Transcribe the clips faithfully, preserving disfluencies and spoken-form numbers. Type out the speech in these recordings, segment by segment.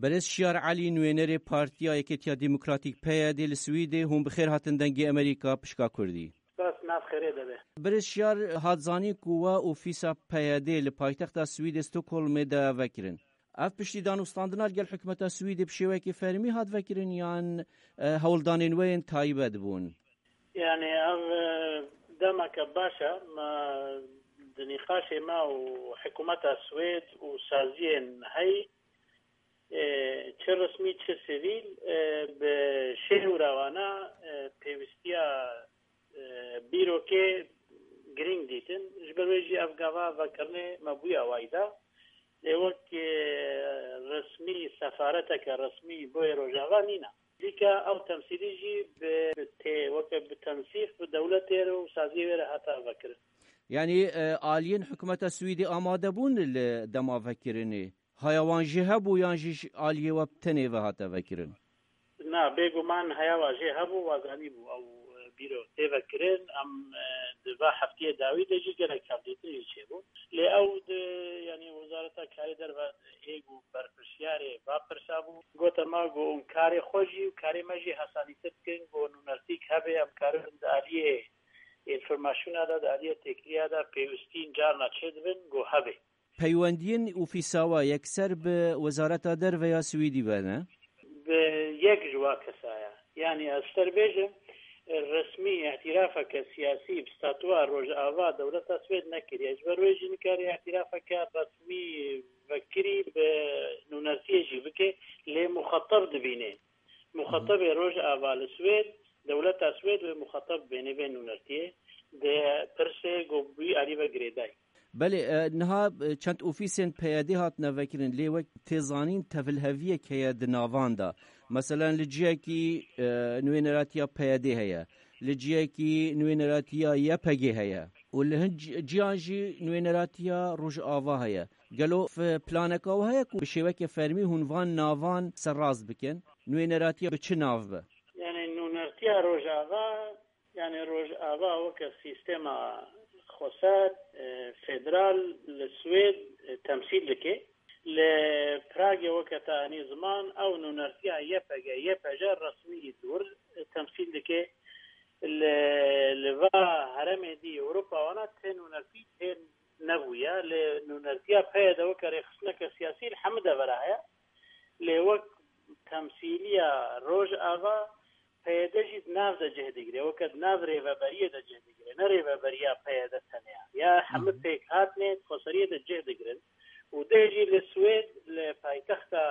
Berêz Şiyar Elî, nûênerê Partiya Yekêtiya Demokratîk, P Y D, li Swîdê, hûn bi xêr hatin Dengê Amerîka, pişka Kurdî. Bes, nav xêrê de be. Berêz Şiyar, hat zanîn ku we ofîsa P Y D li paytexta Swîdê Stockholmê de vekirin. Ev piştî danûstandina li gel hikûmeta Swîdê bi şêwekî fermî hat vekirin yan, e, hewldanên we yên taybet bûn? Yani ev, e, demeke baş e. Me di nîqaşê me û hikûmeta Swêd û saziyên hey, e, çi resmî çi sivîl, e, bi şêwra wana, e, pêwîstiya, e, bîrokê girîng dîtin. Ji ber wê jî ev gava vekirinê me bûye wayda. Lê wek, e, resmî, sefareteke resmî boyê Rojava nîne. Dîka ew temsîlî jî bi, bi tê, weke bi tensîq bi dewletê re û saziyê wê re hate vekirin. Yanî, e, aliyên hikûmeta Swîdê amade bûn li dema vekirinê? Haya wan jî hebû yan jî ji aliyê we bi tenê ve hate vekirin? Na, bêguman heya wa jê hebû, wa zanîbû ew, e, bîro tê vekirin. Em, e, di va heftiyê dawî de jî gelek hevdîtin jî çêbû. Lê ew di, yanî Wezareta Karê Derve ê ku berpirsiyarê va pirsa bû, gote me ku hûn karê xwe jî û karê me jî hesanîtir bikin, ku nûnertîk hebe, em karibin di aliyê înformasyona de, di aliyê têkiliya de pêwîstiyên carna çêdibin, ku hebe. Peywendiyên ofîsa we yekser bi Wezareta Derve ya Swîdî ve ne? Bi yek ji wa kesaya. Yanî ez ji te re bêjim, resmî îtirafeke siyasî bi statuya Rojava dewleta Swêd nekiriye. Ji ber wê jî nikare îtirafeke resmî vekirî bi nûnertiyê jî bike, lê muxatab dibîne. Muxatabê Rojava li Swêd, dewleta Swêd wê muxatab bêne vê nûnertiyê, di pirsê ku bi wî alî ve girêdayî. Belê, e, niha, e, çend ofîsên P Y D hatine vekirin, lê wek tê zanîn tevliheviyek heye di navan de. Meselen li ciyekî, e, nûêneratiya P Y D heye, li ciyekî nûêneratiya Y P G heye û li hin ci-, ciyan jî nûêneratiya Rojava heye. Gelo f-, planeka we heye ku bi şêweke fermî hûn van navan serrast bikin? Nûêneratiya bi çi nav be? Yani nûnertiya Rojava, yani Rojava weke sîstema xweser, e, federal li Swêd, e, temsîl dike. Li Pragê weke te anî ziman, ew nûnertiya Y P G, Y P J resmî li wir, e, temsîl dike. Li, li va heremê dî Ewropa wana tê nûnertî tê nebûye. Lê nûnertiya P Y D weke rêxistineke siyasî li hemû devera heye. Lê wek temsîliya Rojava, P Y D jî di nav de cih digire, weke di nav rêveberiyê de cih digire, ne rêveberiya P Y D tenê ya. Ya hemû pêkhatinê di xweseriyê de cih digirin û dê jî li Swêd, li paytexta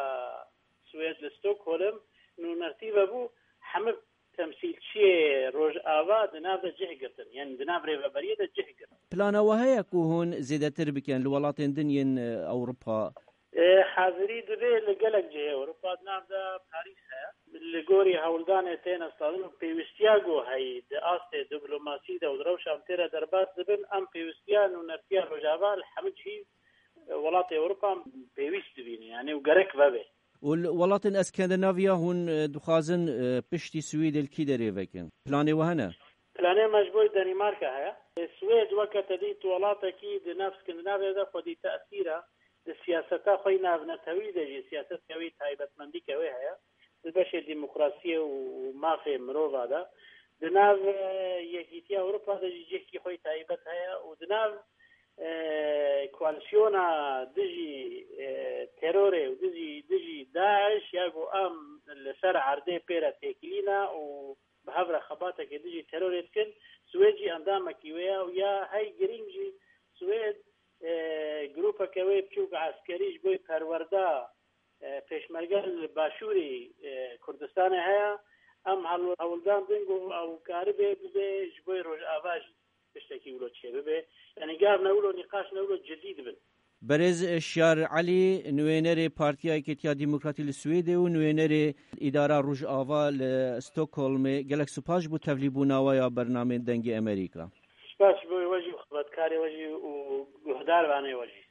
Swêd, li Stockholm, nûnertî vebû, hemû temsîlçiyê Rojava di nav de cih girtin, yanî di nav rêveberiyê de cih girtin. Plana we heye ku hûn zêdetir bikin li welatên din yên, e, Ewropa? E, hazirî dibe li gelek cihê Ewropa, di nav de Parîs heye. Li gorî hewldanê têne standin û pêwîstiya ku heyî di astê diplomasî de û di rewşa em tê re derbas dibin, em pêwîstiya nûnertiya Rojava li hemû cihî, e, welatê Ewropa pêwîst dibînin, yanî û gerek vebe. Û li welatên Eskandinaviya hûn, e, dixwazin, e, piştî Swêdê li kî derê vekin? Planê we hene? Planê me ji bo Danîmarka heye. Swêd weke te dît welatekî di nav Skandinavya de xwedî tesîr e. Di siyaseta xwe yî navnetewî de jî siyaseteke wê taybetmendîke wê heye. Di beşê demokrasiyê û mafê mirova de. Di nav, e, Yekîtiya Ewropa de jî cihkî xwe yî taybet heye û di nav, e, koalîsyona dijî, e, terorê û dijî, dijî DAIŞ ya ku em li ser erdê pê re têkilî ne û bi hev re xebatekê dijî terorê dikin, Swêd jî endamekî wê ye û ya hey girîng jî Swêd, e, grûpeke wê biçûk eskerî ji bo perwerda, e, pêşmerge li başûrê, e, Kurdistanê heye. Em hel-, hewldan din ku ew karibe bibe ji bo Rojava jî tiştekî wilo çêbibe. Yanî gav ne wilo nîqaş ne wilo cidî dibin. Berêz Şiyar Elî, nûênerê Partiya Yekêtiya Demokratî li Swêdê û nûênerê Îdara Rojava li Stockholmê, gelek spas ji bo tevlîbûna we ya bernameyên Dengê Amerîka. Spas ji bo we jî û xizmetkarê we jî û guhdarvanê we jî.